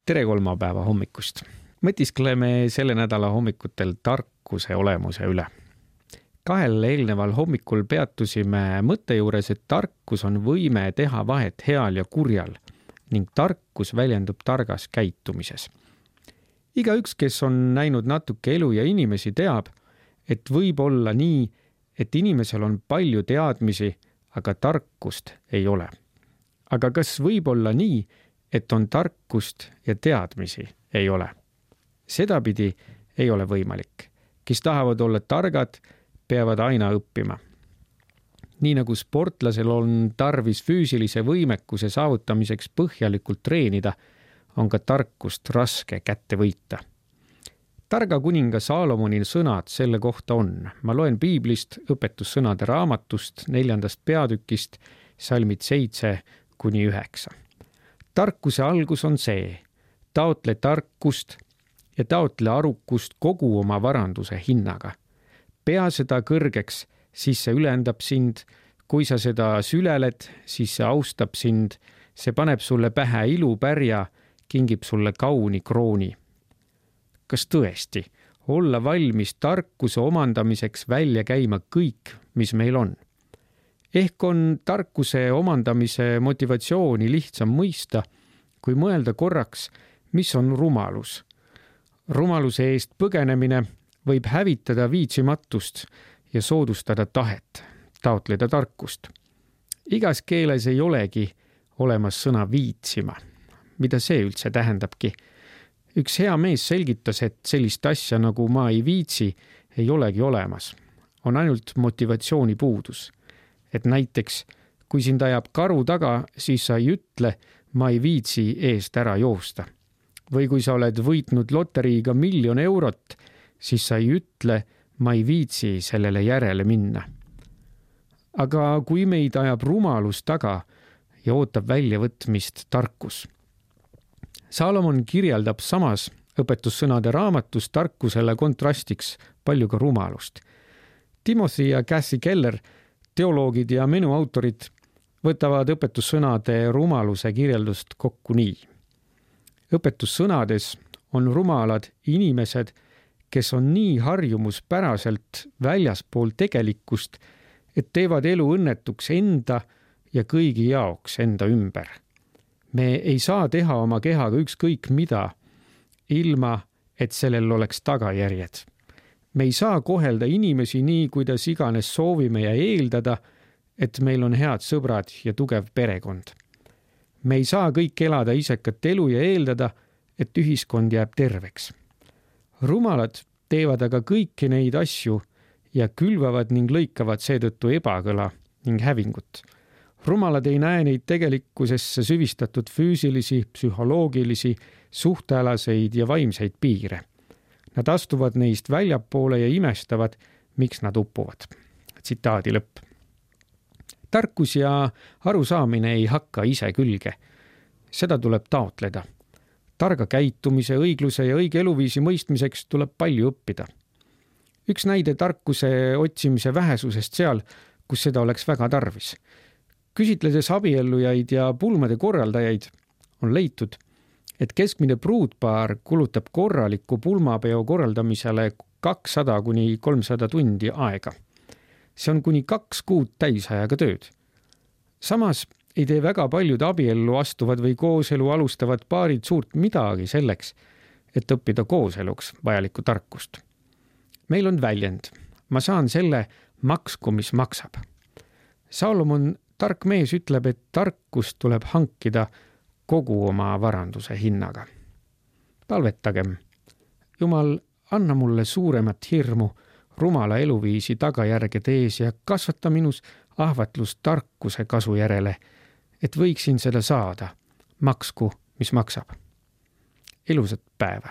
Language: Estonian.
Tere kolmapäeva hommikust. Mõtiskleme selle nädala hommikutel tarkuse olemuse üle. 2 eelneval hommikul peatusime mõtte juures, et tarkus on võime teha vahet heal ja kurjal ning tarkus väljendub targas käitumises. Igaüks, kes on näinud natuke elu ja inimesi, teab, et võib olla nii, et inimesel on palju teadmisi, aga tarkust ei ole. Aga kas võib olla nii, et on tarkust ja teadmisi ei ole? Sedapidi ei ole võimalik. Kes tahavad olla targad, peavad aina õppima. Nii nagu sportlasel on tarvis füüsilise võimekuse saavutamiseks põhjalikult treenida, on ka tarkust raske kätte võita. Targa kuninga Saalomoni sõnad selle kohta on. Ma loen piiblist õpetussõnade raamatust 4. peatükist salmid 7-9. Tarkuse algus on see, taotle tarkust ja taotle arukust kogu oma varanduse hinnaga. Pea seda kõrgeks, siis see ülendab sind. Kui sa seda süleled, siis see austab sind. See paneb sulle pähe ilupärja, kingib sulle kauni krooni. Kas tõesti olla valmis tarkuse omandamiseks välja käima kõik, mis meil on? Ehk on tarkuse omandamise motivatsiooni lihtsam mõista, kui mõelda korraks, mis on rumalus. Rumaluse eest põgenemine võib hävitada viitsimatust ja soodustada tahet, taotleda tarkust. Igas keeles ei olegi olemas sõna viitsima. Mida see üldse tähendabki? Üks hea mees selgitas, et sellist asja nagu ma ei viitsi ei olegi olemas. On ainult motivatsiooni puudus. Et näiteks, kui sind ajab karu taga, siis sa ei ütle, ma ei viitsi eest ära joosta. Või kui sa oled võitnud loteriiga 1 000 000 eurot, siis sa ei ütle, ma ei viitsi sellele järele minna. Aga kui meid ajab rumalus taga ja ootab väljavõtmist tarkus. Saalomon kirjeldab samas õpetussõnade raamatus tarkusele kontrastiks palju ka rumalust. Timothy ja Kathy Keller, teoloogid ja menuautorid, võtavad õpetussõnade rumaluse kirjeldust kokku nii. Õpetussõnades on rumalad inimesed, kes on nii harjumuspäraselt väljaspool tegelikkust, et teevad elu õnnetuks enda ja kõigi jaoks enda ümber. Me ei saa teha oma kehaga ükskõik mida, ilma et sellel oleks tagajärjed. Me ei saa kohelda inimesi nii, kuidas iganes soovime ja eeldada, et meil on head sõbrad ja tugev perekond. Me ei saa kõik elada isekat elu ja eeldada, et ühiskond jääb terveks. Rumalad teevad aga kõiki neid asju ja külvavad ning lõikavad seetõttu ebakõla ning hävingut. Rumalad ei näe neid tegelikkusesse süvistatud füüsilisi, psühholoogilisi, suhtealaseid ja vaimseid piire. Nad astuvad neist väljapoole ja imestavad, miks nad uppuvad. Tsitaadi lõpp. Tarkus ja arusaamine ei hakka ise külge. Seda tuleb taotleda. Targa käitumise, õigluse ja õige eluviisi mõistmiseks tuleb palju õppida. Üks näide tarkuse otsimise vähesusest seal, kus seda oleks väga tarvis. Küsitledes abiellujaid ja pulmade korraldajaid on leitud, et keskmine pruutpaar kulutab korraliku pulmapeo korraldamisele 200-300 tundi aega. See on kuni 2 kuud täisajaga tööd. Samas ei tee väga paljud abiellu astuvad või kooselu alustavad paarid suurt midagi selleks, et õppida kooseluks vajalikku tarkust. Meil on väljend. Ma saan selle maksku, mis maksab. Saalomon tark mees ütleb, et tarkust tuleb hankida kogu oma varanduse hinnaga. Palvetagem. Jumal, anna mulle suuremat hirmu rumala eluviisi tagajärgede ees ja kasvata minus ahvatlust tarkuse kasu järele, et võiksin seda saada, maksku, mis maksab. Ilusat päeva!